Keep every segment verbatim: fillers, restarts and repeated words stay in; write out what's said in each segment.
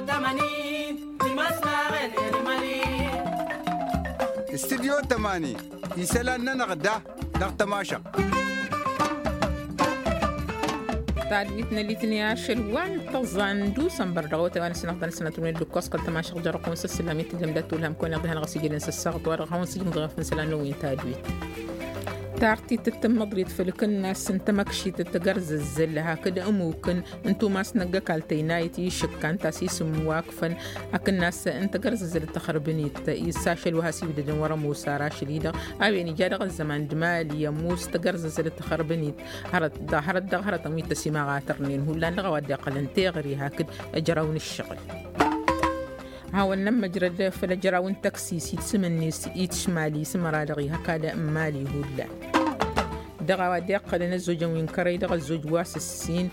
Tămani. Timăsnaɣen. Elimali. Studyo tămani. Isălan-nănăɣ da dăɣ-tămašăɣt. Tadwit n-elitni ašăl wa n-tăẓẓa n-dusănbăr dăɣ-awătay wa n-asǝnăɣ-tăn sănăt-wen d-ǝkkoẓ kăl-tămašăɣt jărăqun s-ǝssǝllam i-tǝjjăm d-atulham kăwăn-iḍihăn ɣas ijăden s-ăssaɣăt wa dăɣ-hawăn-sǝjǝmḍăɣ făn isălan-năwăn tadwit. Tartit d-tǝmmăḍrit făll-kǝnnas n-tamăkšit d-tagărzăzzăl hakd ămukǝn n-tumas n-ăgg-ăkall tăynayăt išǝkkan ta-s isǝmwakfăn akǝnnas n-tagărzăzzăl d-taxărbǝnit. S-ašăl wa has-iwdădăn wăr-ămoos ar ašăl-i-dăɣ a-wen ija dăɣ-ăzzăman d-imali ămoos tagărzăzzăl d-taxărbǝnit. Hărăt dăɣ-hărăt dăɣ-hărătăn wi t-ăsimăɣatărnen hullan dăɣ-a-wa dd-iqqălăn teɣăre hakd ăjraw n-ǝššăɣǝl. Hawăn-nămmăjrăd făll-ăjraw n-tăksis i-tisǝmǝnnes i-tǝšmali s-măra dăɣ-ihăkal n-imali hullan. Dăɣ-a-wa dd-iqqălăn ăzzojăn wi n-kărăy dăɣ-ăzzoj wa s-ǝssin.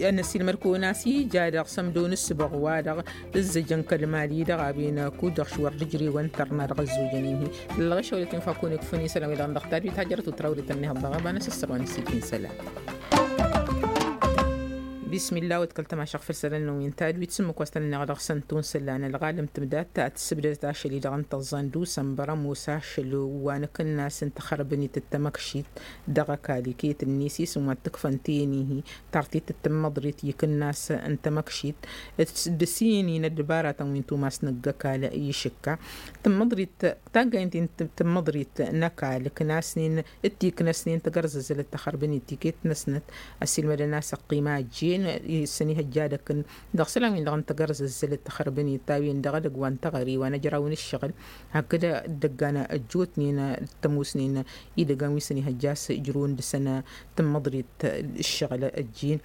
Ănăsilmăd-kăwăn a-s ija dăɣ-sămdo n-ǝssǝbăɣ wa-dăɣ ǝzzăjăn kăl-imali dăɣ-a-wen kud-dăɣ š-wăr dd-ǝjrewăn tărna dăɣ-ăzzojăn-in-hi. Ǝllăɣ ešăwălăt infa kăwăn-ikfăn isălan wi-dăɣ n-dăɣ tadwit hajjărăt u-tărawrit ănnihăḍ dăɣ-ăba n-asǝssărwa n-ǝssin isălan. Bismillah wăt kăl-tămašăɣ făll-isălan-năwăn tadwit s-ǝmmǝk wa s-tăn-ănneɣ dăɣ-săn tunsălan ălɣalăm tǝmdat ta tǝssǝbdădăt ašăl-i-dăɣ n-tăẓẓa n-dusănbăr ămoos ašăl wa n-akǝnnas n-taxărbǝnit d-tamăkšit dăɣ-ăkall iket-net isǝm wa t-ǝkfăn tenihi. Tartit d-tǝmmăḍrit i-akǝnnas n-tamăkšit d-sinin ăddăbaratăn wi n-tumas n-ăgg-ăkall išǝkka. Tǝmmăḍrit taggayǝn-ti n-tǝmmăḍrit n-ăkall ǝknasnen d-tiknăsnen tagărzăzzălăt taxărbănit tiket-năsnăt. Ăssiilmădăn a-s ăqqima ăjjeen s-ănihăjja ad-ăkǝn dăɣ-isălan-win-dăɣ n-tagărzăzzălăt taxărbănit ta-wen-dăɣ edăgg wa n-teɣăre wa n-ăjraw n-ǝššăɣǝl hakd dd-ăggan ăjjootnen d-tămoosnen idăggan wi s-ănihăjja a-s ǝjrǝwăn dăɣ-săn tǝmmăḍrit ǝššăɣǝl ăjjeen.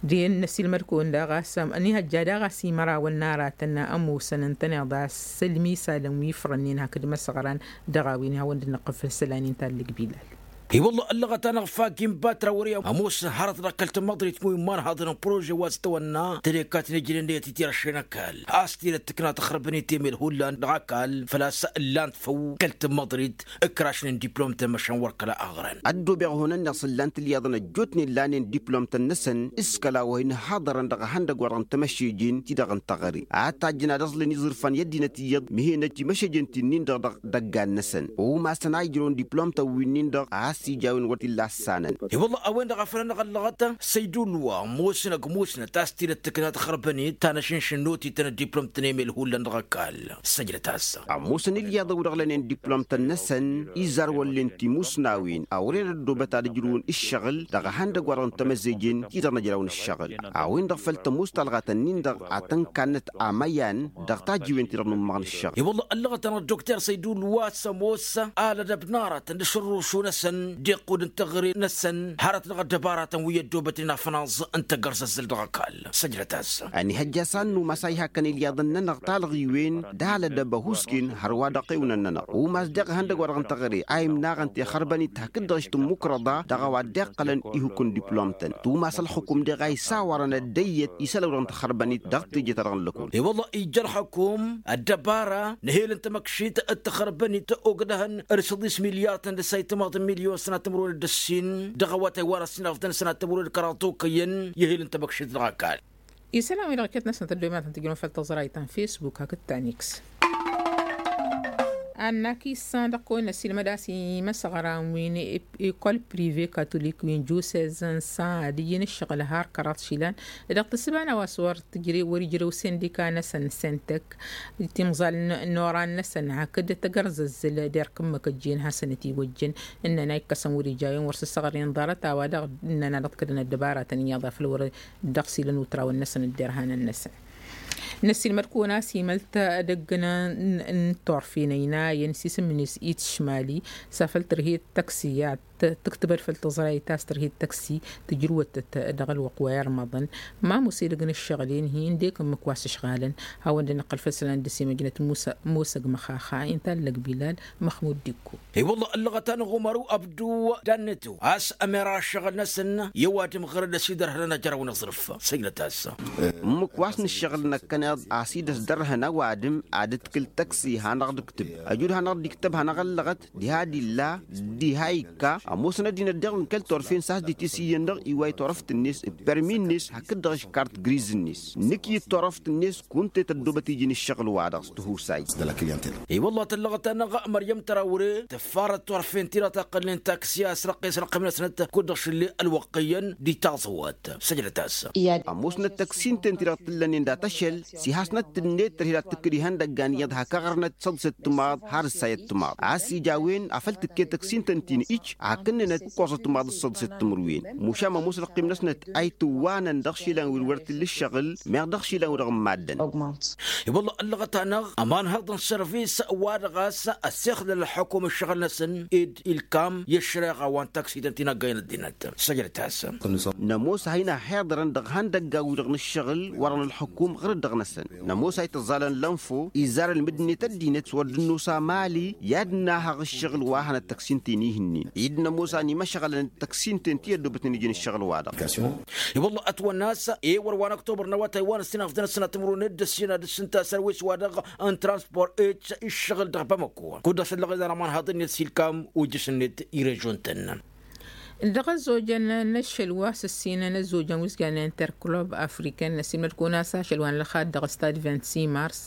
D-e n-ăssiilmăd-kăwăn daɣ a-s ănihăjja daɣ a-s imărawăn n-aratăn ămoosăn ǝntăneḍ a-s ălmisalăn wi ifrănnen hakd imăsăɣran dăɣ-a-wen ihawăn dd-năqqǝl făll-isălan-in ta n-lăgbilal. I-wălla ăllăɣăt-anăɣ fak inbatra wăr-i ămoosăn hărăt dăɣ-kăl-tămmăḍrit wi n-imanhaḍăn n-prože wa s-tăwănna tădekkaten ijnen d-ayăt itirăššen ăkall a-s tidăt tǝkna taxărbănit emel hullan dăɣ-ăkall făl-a-s ǝllan-t făw kăl-tămmăḍrit ǝkrašnen diplomtăn măšan wăr kăla ăɣrăn. Ăddoobeɣ ihunăn-net s-ǝllan-t ǝlyaḍăn ăjjootnen lanen diplomtăn-năsăn s-kăla wa hin-ǝhhaḍărăn dăɣ-ehăndăgg-wa-dăɣ n-tamăššejin ti-dăɣ n-teɣăre ad-tajjăn ad-ăẓlǝn iẓǝrfan i-ăddinăt iyyăḍ mihenăj timăššejin ti-nin-dăɣ dăɣ-idăggan-năsăn. Umasăn a ijrăwăn diplomtăn wi-nin-dăɣ a-s ija a-wen wăr t-illa ăssanăn. I-wălla a-wen-dăɣ a făl anăɣ-ăllăɣăt săydulwa ămoosnăg musnăt a-s tidăt tǝkna taxărbănit ta n-ašǝnšǝn n-otităn ăddiplomtăn emel hullan dăɣ-ăkall. Săjdăt-as. Ămoosăn ilyaḍăn wi-dăɣ lănen diplomtăn-năsăn izarwăllen timusnawen a wăren ăddoobăt ad-ǝjrǝwăn ǝššăɣǝl dăɣ-ehăndăgg-wa-dăɣ n-tamăzzejăn ti-dăɣ n-ăjraw n-ǝššăɣǝl. A-wen-dăɣ făl tămoos talɣa-tăn-in-dăɣ a tăn-kannăt amăyan dăɣ-tajǝwen-ti-dăɣ n-ummăɣ n-ǝššăɣǝl. I-wălla ăllăɣăt-anăɣ dokter săydulwa s-ămoos alădăb n-aratăn d-ašărrušu-năsăn d-iqqud n-teɣăre-năsăn hărăt dăɣ-ăddăbaratăn wi ăddoobătnen afănaẓ n-tagărzăzzăl dăɣ-ăkall. Săjdăt-as. Ănihăjja a-s ad-numas a ihakăn ilyaḍăn-nănăɣ talɣiwen d-alădăb ăhuusken hărwa dăɣ-tewǝnăn-nănăɣ umas deɣ ehăndăgg-wa-dăɣ n-teɣăre a imnaɣăn tixărbănit hakd-dăɣ ăštǝmmukrăḍa dăɣ-a-wa dd-iqqălăn ihukǝn diplomtăn tumas ălxukum deɣ a isawarăn ăddăyyăt isălan-wi-dăɣ n-taxărbănit dăɣ-teje-ta-dăɣ n-lăkul. I-wălla ija ălxukum ăddăbara n-ehel n-tamăkšit d-taxărbănit ogdăhăn d-săḍis milyartăn d-ăssaytămaḍ n-milyon sănatămrăwăn d-ăssin dăɣ-awătay wa n-ăssinăɣtăn sănatămrăwăn d-kăraḍ tokăyăn i-ehel n-tamăkšit dăɣ-ăkall. Isălan-wi-dăɣ iket-năsnăt ăddoymatăn tǝjrǝwăn făll-tăẓrayt ta n-fesbuk hakd ta n-x. Ad-nak issan dăɣ-kăwăn-năsilmăd a-s imăsăɣran wi n-ekol prive katolik wi n-jusez n-san ad-ǝjǝn ǝššăɣǝl har kăraḍ išilan dăɣ-tǝssǝba n-a-wa s-wăr tǝjrew wăr-ijrew sindika-năsăn sentek timẓal n-oran-năsăn hakd tagărzăzzăl derk ǝmmǝk ăjjeen hasăn-ătiwăjjăn. Ǝnnăn a ikkăsăn wăr-ija a-wen wăr sǝssăɣrăyăn ḍarăt a-wa-dăɣ ǝnnăn ad-ǝḍkădăn ăddăbaratăn iyyăḍ afăl wăr dăɣ-s ilăn utrawăn-năsăn d-derhanăn-năsăn. Năsilmăd-kăwăn a-s imăl tadăgg n-turfen ăynayăn s-isǝm-net itšmali s-afăl tărhet taksi ad-tǝktǝbăd făll-tăẓrayt a-s tărhet taksi tǝjrǝwătăt dăɣ-ălwăqq wa irmăḍăn. Ma ămoos edăgg n-ǝššăɣǝl-en-hi ǝndek ǝmmǝk wa s-ǝšɣalăn. Hawăn-dd-nǝqqăl făll-isălan dăr-s imăjnăt musăg măxaxa inta n-lăgbilal măxmud dikko. I-wălla ăllăɣăt-anăɣ umaru abdu dannetu a-s ămera ăššăɣǝl-năsăn i-ăwadǝm ɣărăd a-s idărhănăn ajăraw n-aẓrǝf. Săjdăt-as. Ǝmmǝk wa s-nǝššăɣǝl năkkăneḍ a-s idăs dărhăn ăwadǝm ad-ǝtkǝl taksi hanăɣ-dd-ǝktǝb ăjud hanăɣ-dd-iktăb hanăɣ-ăllăɣăt diha d-illa diha ikka. Ămoosăn ăddinăt daɣ n-kăl-turfen s-has-dd-itǝs iyyăn-dăɣ iway turăft-net d-permi-net hakd-dăɣ ǝškart griz-net. Nǝkyǝd turăft-net kunta i-tăddoobăt iji n-ǝššăɣǝl-wa-dăɣ s-tihusay. I-wălla tăllăɣăt-anăɣ măryăm tărawre tǝffarăt turfen-ti-dăɣ ta ǝqqălnen taksi a-s răqqes răqqem-năsnăt kud-dăɣ šǝlle ălwăqq iyyăn d-itaẓwăt. Săjdăt-as. Ămoosnăt tăksin-ten-ti-dăɣ t-ǝllănen dat-ašăl s-ihasnăt-net tărhed ad-tǝkkǝd ihăndăggan iyyăḍ hak aɣrǝnăt săḍset timaḍ har ǝssayăt timaḍ a-s ija a-wen afăl tǝkke tăksin-ten-ti n-ij hakd-nănăt ǝkkoẓăt timaḍ d-săḍset timǝrwen. Mušam ămoos răqqim-năsnăt a itǝwwanăn dăɣ-išilan wi wăr t-illa ǝššăɣǝl meɣ dăɣ-išilan-wi-dăɣ n-maddǝn. I-wălla ăllăɣăt-anăɣ ămanhăḍ n-sărvis wa-dăɣ a-s ăssexlăl ălxukum ǝššăɣǝl-năsăn ed ilkam i-ăššăreɣa wa n-taksităn ti n-aggay n-ăddinăt. Săjdăt-as. Nămoos a hin-ăhhiḍărăn dăɣ-ihăndăggan-wi-dăɣ n-ǝššăɣǝl wărăn ălxukum ɣur-dd dăɣ-năsăn. Nămoos a itǝẓẓalăn lănfo izarăn mǝddǝnet ăddinăt s-wăr dd-nosa mali i-ad-nahăɣ ǝššăɣǝl wa hanăt tăksin-ten-i ihǝnnin i-dd-nămoos a n-imăšɣălăn d-tăksin-ten ti ăddoobătnen iji n-ǝššăɣǝl-wa-dăɣ. I-wălla ătwănna a-s ewăr wa n-ăktobăr n-awătay wa n-ăssinăɣ d-tănăssinăt timǝrwen d-ăssinăd s-ǝnta a-s ărwes-wa-dăɣ n-transpor eci ǝššăɣǝl dăɣ-bamăko kud-dăɣ s-ăllăɣ idan ămanhaḍ-net s-ilkam ojjăš-net i-režon-tăn. Dăɣ-ăzzojăn n-ašăl wa s-ǝssinăn ăzzojăn wi s-jannen interclub african n-asimăl kăwăn-as ašăl wa n-lăxad dăɣ-stad vint-six mars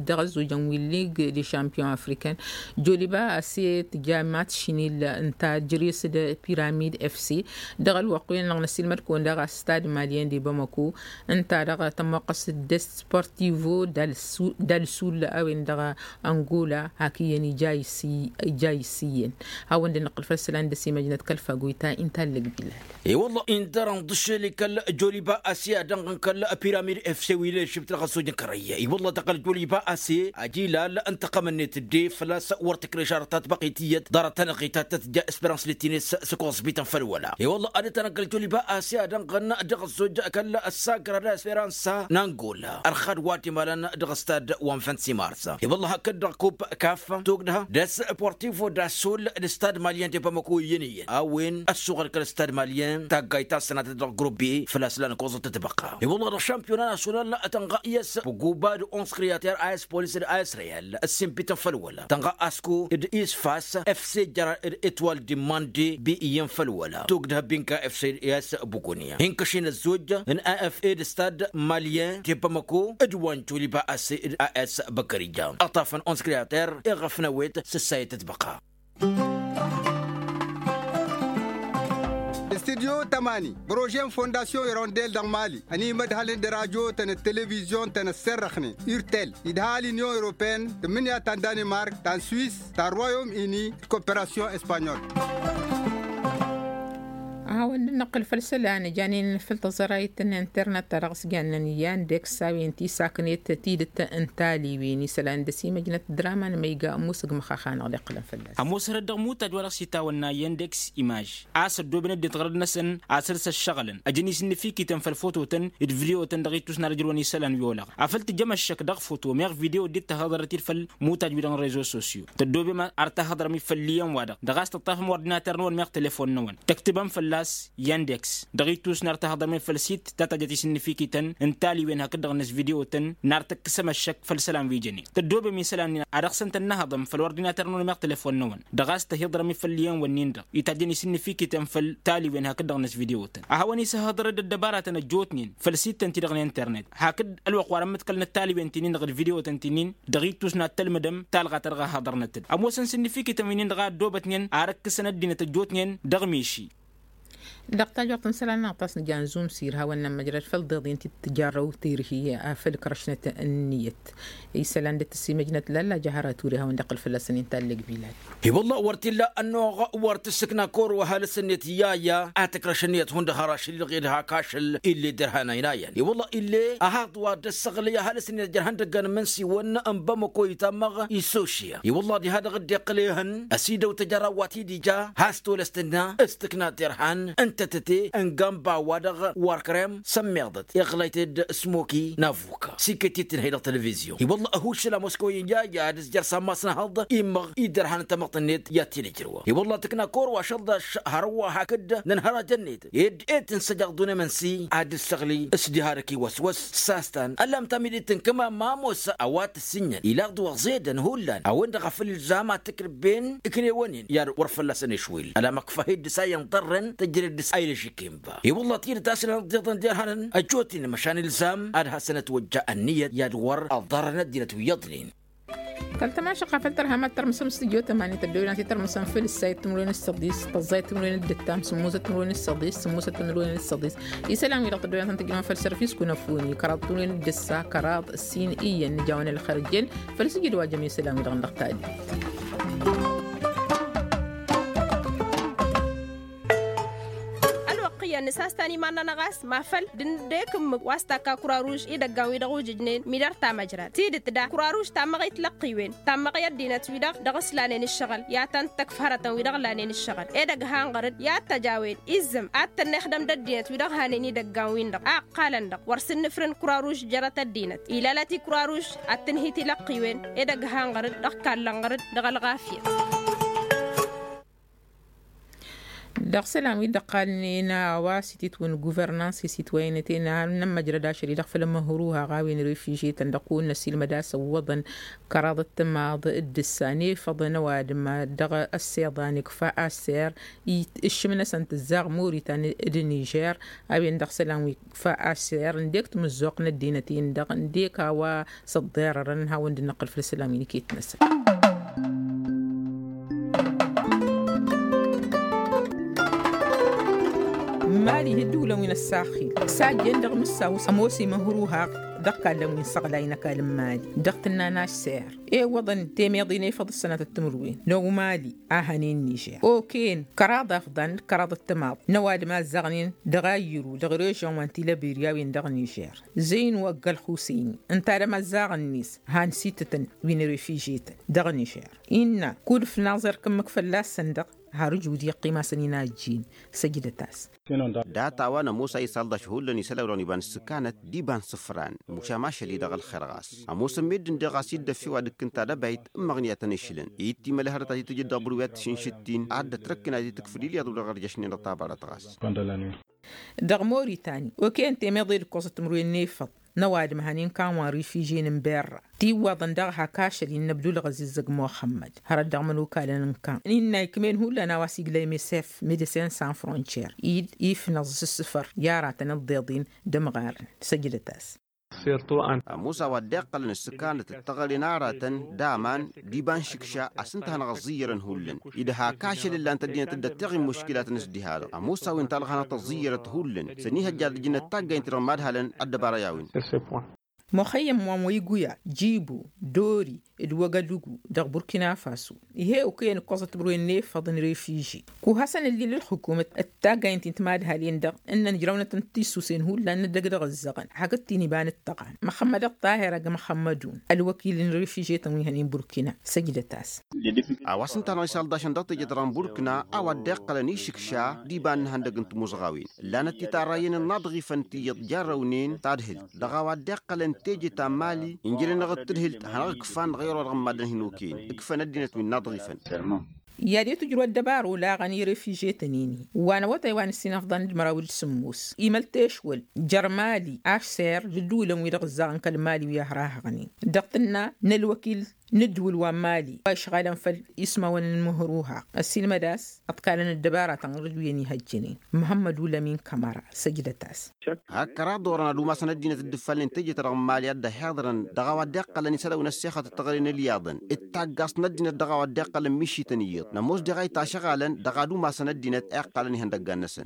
dăɣ-ăzzojăn wi n-lig de champion african. Joliba ase tǝja matš šinil ǝnta jere-s d-piramid fc dăɣ-ălwăqq-wen-dăɣ n-asimăl kăwăn daɣ a-s stad malien de bamako ǝnta-dăɣ tămmoqqăs d-sportivo d-alsul a-wen dăɣ-angola hak iyyăn ija isǝyyăn. Hawăn-dd-nǝqqǝl făll-isălan d-ăsimăjnăt kăl-fagoyta inta allăg bilal. I-wălla inta dăr-inḍǝššel i-kăl-joliba ase ad-dănɣăn kăl-piramid fc wi n-ălšǝbt dăɣ-ăzzoj n-kărăyya i-wălla tăɣăl joliba ase ajilal n-tăqqăm-net dd-e făl-a-s wăr tǝkreš arăt tatbăqit iyyăt ḍarăt-anăɣ-i ta tăt-tǝja esperans lătines s-ăkoẓbităn făll-wăla i-wălla ad-dd-tanăggăl joliba ase ad-dănɣăn dăɣ-ăzzoj kăl-ăssaggra d-esperansa n-angola ărxad wa t-imalăn dăɣ-ăstad wa n-fănsimars. I-wălla hakd-dăɣ kup kaf tugdăha d-ass portivo d-asul d-stad malyen de bamako iyyăn iyyăn a-wen ăssuɣăl kăl-stad malyen taggayt ta s-tănatăt dăɣ-grup b făl-a-s lan ăkoẓăt tătbăqa i-wălla dăɣ-šampiyona nasyonal tănɣa i-ass buguba d-ons kriyater a-s polis d-a-s reyal ăssimbităn făll-wăla tănɣa asko d-isfas fc jăr d-etwal d-imande bi iyyăn făll-wăla tugdăha binka fc d-a-s bugunya inkăšin ăzzoj n-a f a d-stad malyen de bamako d-wa n-joliba a s d-a s băkărija ăṭṭafăn ons kriyater iɣăf n-ewet s-ăssayăt tătbăqa. Studyo tămani projet n-fondasyon irondel dăɣ-mali ănimădhălăn d-rajotăn d-televizyon-tăn ăsserrăxnen irtel idha l-inyon europene tǝmmǝnǝya ta n-danimark ta n-swis ta n-royom ini d-koperasyon espanyol. A hawăn-dd-năqqǝl făll-isălan janen făll-taẓărayt n-internet ta dăɣ-s jannen yandeks a-wen tisaknet tidǝt n-taliwen isălan d-ăsimăjnăt draman ma iga ămoos ǝgmăx axanăɣ d-iqqǝlăn fălla-s. Ămoos hărăt dăɣ-imuttaj wa dăɣ-s itawănna yandeks imaj a-s ăddooben ăddinăt ɣărăd-năsăn a săr-s ăššăɣǝlăn ăjăn isǝnnǝfikităn făll-fototăn d-vidyo-tăn dăɣ-ittus n-ad-ǝjrǝwăn isălan wi olaɣ afăl tǝjjăm ăššăk dăɣ-foto meɣ vidyo dd-tahăḍărăt-dd făll-imuttaj-wi-dăɣ n-rezo sosyo tăddoobem ar tahăḍrăm-dd făll-iyyăn-wa-dăɣ dăɣ-a-s tǝṭṭafăm ordinater-năwăn meɣ telefon-năwăn tăktǝbăm fălla-s yandeks dăɣ-ittus n-ar tahăḍărăm-dd făll-sit ta tajjăt isǝnnǝfikităn n-taliwen hakd-dăɣ-năs vidyo-tăn n-ar tǝkkǝsăm ăššăk făll-isălan wi jănen tăddoobem isălan-in ad-dăɣ-săn tănnăhăḍăm făll-ordinater-năwăn meɣ telefon-năwăn dăɣ-a-s tăhiḍărăm-dd făll-iyyăn-wǝnnin-dăɣ itajjăn isǝnnǝfikităn făll-taliwen hakd-dăɣ-năs vidyo-tăn a hawăn-isăhhăḍărăd ăddăbaratăn ăjjootnen făll-sittăn-ti-dăɣ n-internet hakd ălwăqq wa dăɣ-mǝḍkălnăt taliwen ti-nin-dăɣ d-vidyo-tăn ti-nin dăɣ-ittus n-ad-tălmǝdăm talɣa ta dăɣ-a hăḍărnăt-dd ămoosăn sǝnnǝfikităn wi-nin-dăɣ a ăddoobătnen ar ǝkkǝsăn ăddinăt ăjjootnen dăɣ-miši. Dăɣ-tajwăḍt n-isălan-năɣ ta s-nǝja n-zumsir hawăn-nămmăjrăd făll-iḍeḍen ti t-tǝjarrăw tirhi a făl ǝkrăšnăt ǝnniyăt isălan dd-tăsimăjnăt lalla jahăra ture hawăn-dd-iqqǝl fălla-săn inta ălleg bilad. I-wălla wăr t-illa ănnuɣ wăr tǝssǝkna kăwăr wa ăhalǝs-net i-aya a tǝkrăš ǝnniyăt hundăɣ har ašăl-i-dăɣ ed hak ašăl ill'-e d-irhan aynayan i-wălla ill'-e ăhaḍ wa dd-ăssăɣlăy ăhalǝs-net jer-ihăndăggan imǝnsiwăn n-bamăko itammăɣ i-sošya i-wălla diha-dăɣ dd-iqqǝl ehăn ăsidăw tăjăra wa t-dd-ija has tolăs tǝnna s-tǝkna tirhan. tătăte n-gamba wa-dăɣ warkrem s-ămmiḍăt iɣlayt-dd smoki n-avuka s-iket-itǝnhăy dăɣ-televizyon i-wălla ăhuššăl a moskăwăyăn yaya d-s jer-sammas n-ahăḍ immăɣ idărhan n-tamăḍt-net i-ad-t-ila ijrăwăn i-wălla tǝkna kăwăr wa šăldaš hărwa hakd n-ănhărajăn-net ed e-tǝnsăj aɣḍu n-emănsi ad-dd-săɣli s-diha dăɣ-iwăswăs s-astan ăllam tamidit n-kămam ma ămoos a-wa t-ǝssinjăn ilaɣ d-wăɣ zedăn hullan a-wen-dăɣ a făl ilzam ad-t-ǝkrǝbben ǝknewăn-in i-ad-wăr fălla-săn išwil ălamăkfa hi-dd-s a iyyăn ḍarrăn tăjjăd dd-s a ilăžik inba i-wălla tidǝt a-s ǝllan ăḍḍiḍăn derhanăn ăjjootnen măšan ilzam ad-hasăn-ătwăjja ănniyăt i-ad-wăr ăḍarrăn ăddinăt wi iyyăḍnen. Kăl-tămašăqqa făll-tărha ma t-tărmǝsăm s-tǝjjo tămani tăddăwilăn a t-tărmǝsăm făll-ǝssayăt timǝrwen s-săḍis tăẓẓayăt timǝrwen d-ǝttam sǝmmuzăt timǝrwen s-săḍis sǝmmuzăt timǝrwen s-săḍis isălan-wi-dăɣ tăddăwilăn a tăn-tǝjnăwăn făll-sărfis kunăfuni kăraḍ timǝrwen d-ǝssa kăraḍ ǝssin iyyăn nǝjawăn ălxer ǝjjen făll-sǝjǝd wa jăm isălan-wi-dăɣ n-dăɣ tadit. Ălwăqq iyyăn nǝsastan iman-nănăɣ a-s mafăl d-nǝddek ǝmmǝk wa s-takka kuraruž idăggan-wi-dăɣ ujǝjnen midăr tamăjrad tidǝt da kuraruž tammăɣit lăqqiwen tammăɣi ăddinăt-wi-dăɣ dăɣ-s lanen ǝššăɣǝl i-ad-tăn-tǝkf hărătăn-wi-dăɣ lanen ǝššăɣǝl edăgg hanɣăr-dd i-ad-tăjawen izzǝm ad-tănnexdăm d-ăddinăt-wi-dăɣ hanen idăggan-win-dăɣ a ǝqqalăn-dăɣ wăr sǝnnǝfrǝn kuraruž jărăt ăddinăt ilalăt i-kuraruž ad-tǝnhǝy tilăqqiwen edăgg hanɣăr-dd dăɣ-kallănɣăr-dd dăɣ-ălɣafyăt. Dăɣ-isălan wi dd-ăqqalnen a-wa s-ititwǝn guvernans i-sitwăynăten a n-ămmăjrăd ašăl-i-dăɣ făll-ămhăruhaɣ a-wen refižetăn dăɣ-kăwăn-năsilmăd a-s ǝwwăḍăn kăraḍăt timaḍ d-ǝssan efăḍăn ăwadǝm dăɣ-ăssiḍan ikfa aser ǝššǝm-năsăn tǝzzaɣ moritan d-nižer a-wen dăɣ-isălan wi ikfa aser ǝndek tamǝzzuɣt n-ăddinăt-in-dăɣ ǝndek a-wa s-ăḍḍerărăn hawăn-dd-năqqǝl făll-isălan wi n-iket-năsăn. Mali d-ǝddǝwǝlăn wi n-ăssaxil s-a ǝjjen dăɣ-imǝssaw s-ămoos imǝhruhaɣ dăɣ-ikallăn wi n-săɣlay n-ăkall n-mali dăɣ-tǝnna n-ašser i-iwwăḍăn temeḍe n-efăḍ ǝssănatăt timǝrwen n-omali a hănen nižer oken kăraḍ afḍan d-kăraḍ ăttămaḍ n-ăwadǝm a ǝzzaɣnen dăɣ-ayyǝru dăɣ-režăn wa n-tilăberi a-wen dăɣ-nižer zăynǝw ăgg-ălxusăyni ǝnta d-amăzzaɣ-net han s-itǝtăn wi n-refižetăn dăɣ-nižer innă kud-ǝfnaẓ erk ǝmmǝk fălla-săn-dăɣ har ǝjud iqqim-asăn-in a ǝjjin săjdăt-as. Dat-a-wa n-ămoos a isalḍaš hullan isălan-wi-dăɣ n-iba n-ǝssǝkanăt d-iba n-isǝfran mušam ašăl-i-dăɣ ălxer ɣas ămoosăn meddǝn-de ɣas i-dd-ăffe wa d-ǝkkǝn tadăbayt ǝmmăɣ n-i-ad-tăn-išǝlăn i-dd-timălhărăt a t-tǝjǝd dăɣ-bărwi ad-tǝšǝnšǝttin ad-dd-ătrăkkǝn ad-t-tǝkfǝl ilyaḍ wi-dăɣ ărjăšnen dăɣ-tabarăt ɣas. Dăɣ-mori tani oke n-temeḍe d-ǝkkoẓăt timǝrwen n-efăḍ n-ăwadǝm hănen kan wa n-rifižen n-berra tiwwaḍăn daɣ hak ašăl-i n-ăbdulɣăzizăg muxămmăd hărăt dăɣ-imănokalăn n-kan innă ikm'-en hullan a-wa s-igla i-mesef medecin san frontier-i d-ifnăẓ s-ǝssǝfăr i-aratăn ǝḍḍeḍ-in d-ămɣarăn săjdăt-as. Ămoos a-wa dd-iqqălăn ǝssǝkanăt d-teɣăre n-aratăn d-aman d-iba n-išǝkša a-s ǝnta a hanăɣ-ăẓẓiyyărăn hullan ed hak ašăl ǝllan-t ăddinăt dd-ătteɣ i-muškilatăn s-diha-dăɣ ămoos a-wen talɣa hanăɣ-tăẓẓiyyărăt hullan s-ănihăjja ad-ǝjǝnăt taggaynt-i-dăɣ mad-halăn ăddăbara i-a-wen. Muxăyyăm wa n-wăyguya jibu dori d-wăgădugu dăɣ-burkina faso ih'-e okăyăn ǝkkoẓăt timǝrwen n-efăḍ n-refiži kuhasăn ǝllil ǝlxǝkumăt d-taggaynt-in timadhalen-dăɣ ǝnnăn ǝjrăwnăt n-tisusen hullan n-ăddăg dăɣ-ǝzzăɣăn hakd tiniba n-ǝttăɣan măxămmăd ăṭṭaher agg măxămmădun ălwăkil n-refižetăn wi hănen burkina săjdăt-as. A-wa s-ǝnta a hanăɣ-isalḍašăn dăɣ-teje-ta-dăɣ n-burkina a-wa dd-iqqălăn išǝkša d-iba n-ihăndăg n-timuzɣawen ǝllanăt titarrayăn n-inaḍɣifăn ti iyyăḍ jarrăwnen tadhǝlt dăɣ-a-wa dd-iqqălăn teje ta n-mali ǝnjăl-anăɣ d-tadhǝlt hanăɣ-ǝkfan dăɣ-ewăr wa dăɣ-n maddăn hin-okăyăn ǝkfăn ăddinăt wi n-inaḍɣifăn. I-ad-e-tǝjrǝw ăddăbara olaɣăn i-refižetăn-in-i wa n-awătay wa n-ǝssin afḍăn d-măraw d-sǝmmos imăl tešwăl jer-mali ašser d-ǝddǝwǝlăn-wi-dăɣ ǝzzaɣăn kăl-mali wi ăhrahăɣnen dăɣ-tǝnna n-ălwăkil n-ǝddǝwǝl wa n-mali wa išɣalăn făll-ismawăn n-imǝhruhaɣ ăssiilmăd a-s ăḍkalăn ăddăbara tănɣăr-dd wi ănihăjjănen măhămmăd ulămin kămăra săjdăt-as. Hak kăraḍ orăn ad-umasăn ăddinăt dd-ǝffalnen teje-ta-dăɣ n-mali a dd-ăhiḍărăn dăɣ-a-wa dd-iqqălăn isălan wi n-ăssexăt d-teɣăre n-ălyaḍăn d-taggaẓt n-ăddinăt dăɣ-a-wa dd-iqqălăn mišităn iyyăḍ n-ămoos deɣ a itašăɣalăn dăɣ-ad-umasăn ăddinăt a iqqalăn ihăndăggan-năsăn.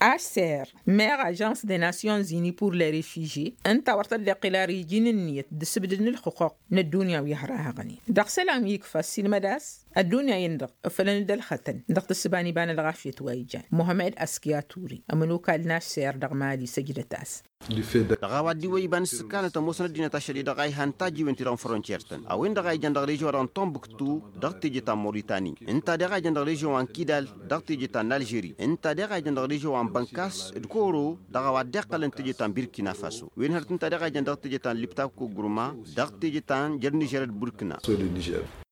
Ašser meɣ ažans de nasyonzini pur le refižye ǝnta wăr tăddeqqǝl ar iji n-ǝnniyăt d-asǝbdǝd n-ǝlxǝqquq n-ăddunya wi ăhrahăɣnen dăɣ-isălan wi ikfa ăssiilmăd a-s ăddunya-in-dăɣ ǝfălăn-dd ălxătăn dăɣ-tǝssǝba n-iba n-ălɣafyăt wa ijan muhămmed askiya ture ămănokal n-ašser dăɣ-mali săjdăt-as. Dăɣ-a-wa dd-iwwăy iba n-ǝssǝkkanăt ămoosăn ăddinăt ašăl-i-dăɣ a ihan tajjiwen-ti-dăɣ n-frontiyer-tăn a-wen-dăɣ a ijăn dăɣ-režion-wa-dăɣ n-tombuktu, dăɣ-teje ta n-moritani ǝnta a deɣ a ijăn dăɣ-režion wa n-kidal, dăɣ-teje ta n-alžeri ǝnta a deɣ a ijăn dăɣ-režion wa n-bănkas d-koro, dăɣ-a-wa dd-iqqălăn teje ta n-birkina faso wen hărăt ǝnta a deɣ a ijăn dăɣ-teje ta n-libtako gruma, dăɣ-teje ta n-jer-nižer d-burkina.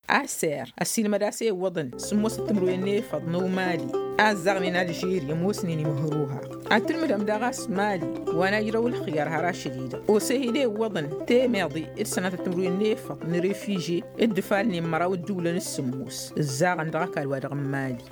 Aser ăssiilmăd a-s e-iwwăḍăn sǝmmosăt timǝrwen n-efăḍ n-umali, a ăzzaɣnen alžeri ămoosnen imǝhruha. Ad-tǝlmǝdăm daɣ a-s mali wa n-ajrăw ǝlxǝyar har ašăl-i-dăɣ osehi d-e-iwwăḍăn temeḍe d-sănatăt timǝrwen n-efăḍ n-refiže, d-ǝfalnen măraw ǝddǝwlăn s-sǝmmos ǝzzaɣăn dăɣ-ăkall-wa-dăɣ n-mali.